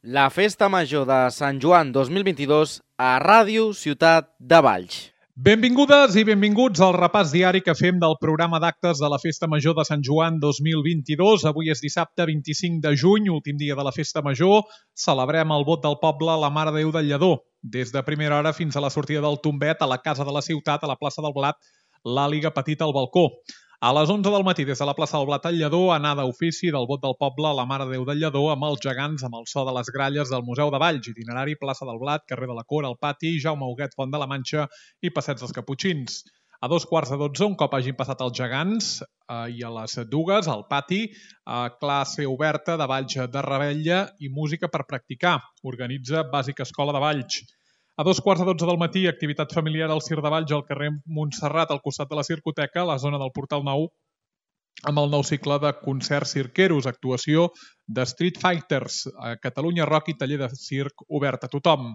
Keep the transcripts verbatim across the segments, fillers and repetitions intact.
La Festa Major de Sant Joan dos mil vint-i-dos a Ràdio Ciutat de Valls. Benvingudes i benvinguts al repàs diari que fem del programa d'actes de la Festa Major de Sant Joan dos mil vint-i-dos. Avui és dissabte vint-i-cinc de juny, últim dia de la Festa Major. Celebrem el vot del poble a la Mare de Déu del Lledó. Des de primera hora fins a la sortida del tombet, a la Casa de la Ciutat, a la plaça del Blat, l'Àliga Petita al balcó. A les onze del matí, des de la plaça del Blat al Lledó, anada a ofici del vot del poble a la Mare de Déu del Lledó amb els gegants, amb el so de les gralles del Museu de Valls, itinerari plaça del Blat, carrer de la Cor, al pati, Jaume Huguet, Font de la Manxa i passeig dels Caputxins. A dos quarts de dotze, un cop hagin passat els gegants, eh, i a les dues, al pati, eh, classe oberta de Valls de Rebella i música per practicar. Organitza Bàsica Escola de Valls. A dos quarts de dotze del matí, activitat familiar al Cir de Valls al carrer Montserrat, al costat de la Circoteca, a la zona del Portal Nou, amb el nou cicle de concerts cirqueros, actuació de Street Fighters, a Catalunya Rock i taller de circ obert a tothom.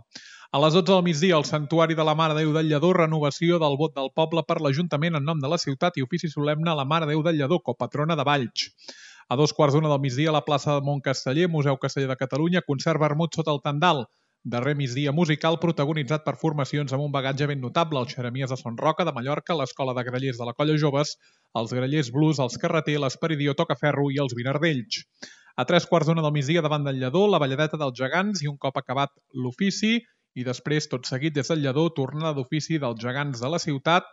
A les dotze del migdia, al Santuari de la Mare de Déu del Lledó, renovació del vot del poble per l'Ajuntament en nom de la ciutat i ofici solemne a la Mare de Déu del Lledó, copatrona de Valls. A dos quarts d'una del migdia, a la plaça de Montcasteller, Museu Casteller de Catalunya, concert vermut sota el tendal. Darrer migdia musical protagonitzat per formacions amb un bagatge ben notable, el Xeremies de Son Roca, de Mallorca, l'Escola de Grallers de la Colla Joves, els Grallers Blues, els Carreter, l'Esperidió Tocaferro i els Vinardells. A tres quarts d'una del migdia davant del Lledó, la balladeta dels gegants i un cop acabat l'ofici i després, tot seguit des del Lledó, tornada d'ofici dels gegants de la ciutat,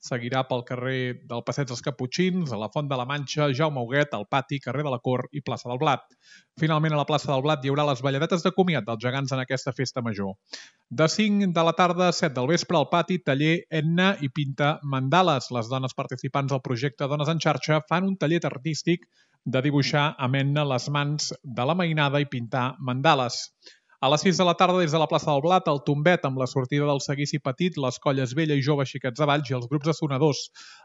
seguirà pel carrer del Passeig dels Caputxins, a la Font de la Manxa, Jaume Huguet, al pati, carrer de la Cor i plaça del Blat. Finalment, a la plaça del Blat hi haurà les balladetes de comiat dels gegants en aquesta festa major. De cinc de la tarda a set del vespre, al pati, taller Enna i pinta mandales. Les dones participants del projecte Dones en Xarxa fan un taller artístic de dibuixar amb henna les mans de la mainada i pintar mandales. A les sis de la tarda, des de la plaça del Blat, el tombet amb la sortida del seguici petit, les colles vella i jove xiquets de Valls i els grups de sonadors.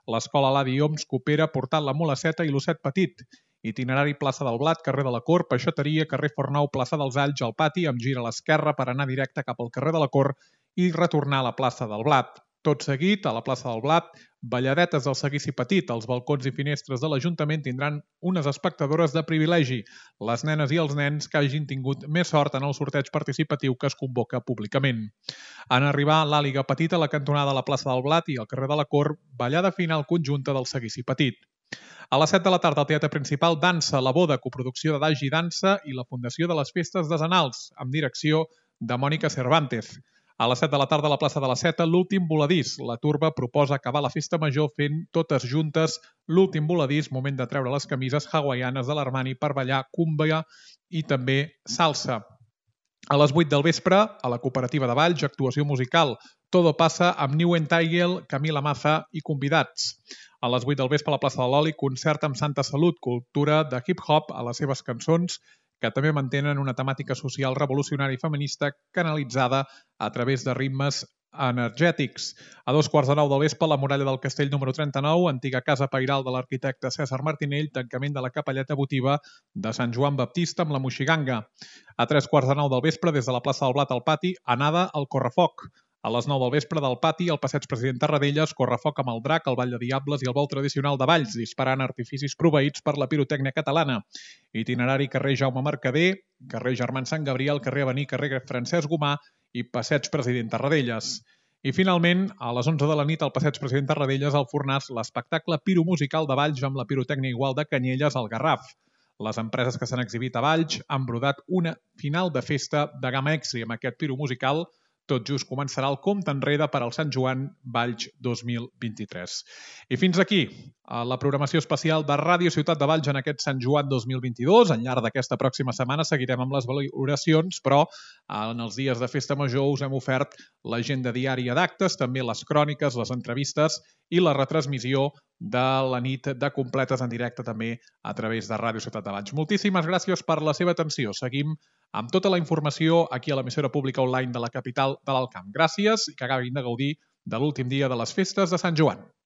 L'escola Ladi Oms coopera portant la Molaceta i l'Osset Petit. Itinerari plaça del Blat, carrer de la Cor, Peixateria, carrer Fornou, plaça dels Alls, al pati, amb gir a l'esquerra per anar directe cap al carrer de la Cor i retornar a la plaça del Blat. Tot seguit, a la plaça del Blat, balladetes del seguici petit. Els balcons i finestres de l'Ajuntament tindran unes espectadores de privilegi, les nenes i els nens que hagin tingut més sort en el sorteig participatiu que es convoca públicament. En arribar a l'Àliga Petita, a la cantonada de la plaça del Blat i al carrer de la Cor, ballada final conjunta del seguici petit. A les set de la tarda, al Teatre Principal, Dansa, la boda, coproducció de Dagi Dansa i la Fundació de les Festes Desenals, amb direcció de Mònica Cervantes. A les set de la tarda, a la plaça de la Seta, l'últim voladís. La turba proposa acabar la festa major fent totes juntes l'últim voladís, moment de treure les camises hawaianes de l'Armani per ballar cumbia i també salsa. A les vuit del vespre, a la cooperativa de Valls, actuació musical. Todo passa amb New Entitled, Camila Maza i convidats. A les vuit del vespre, a la plaça de l'Oli, concert amb Santa Salut, cultura de hip-hop a les seves cançons, que també mantenen una temàtica social revolucionària i feminista canalitzada a través de ritmes energètics. A dos quarts de nou del vespre, la muralla del castell número trenta-nou, antiga casa pairal de l'arquitecte César Martinell, tancament de la capelleta votiva de Sant Joan Baptista amb la Moixiganga. A tres quarts de nou del vespre, des de la plaça del Blat al pati, anada al Correfoc. A les nou del vespre, del pati, al passeig President Tarradellas, correfoc amb el drac, el ball de diables i el vol tradicional de Valls, disparant artificis proveïts per la pirotècnia catalana. Itinerari carrer Jaume Mercader, carrer Germán Sant Gabriel, carrer Avenir, carrer Francesc Gomà i passeig President Tarradellas. I finalment, a les onze de la nit, al passeig President Tarradellas, al Fornàs, l'espectacle piromusical de Valls amb la pirotècnia igual de Canyelles al Garraf. Les empreses que s'han exhibit a Valls han brodat una final de festa de gamma extra amb aquest piromusical. Tot just començarà el compte enrere per al Sant Joan Valls dos mil vint-i-tres. I fins aquí la programació especial de Ràdio Ciutat de Valls en aquest Sant Joan dos mil vint-i-dos. Al llarg d'aquesta pròxima setmana seguirem amb les valoracions, però en els dies de Festa Major us hem ofert l'agenda diària d'actes, també les cròniques, les entrevistes i la retransmissió de la nit de completes en directe també a través de Ràdio Ciutat de Valls. Moltíssimes gràcies per la seva atenció. Seguim amb tota la informació aquí a l'emissora pública online de la capital de l'Alt Camp. Gràcies i que acabin de gaudir de l'últim dia de les festes de Sant Joan.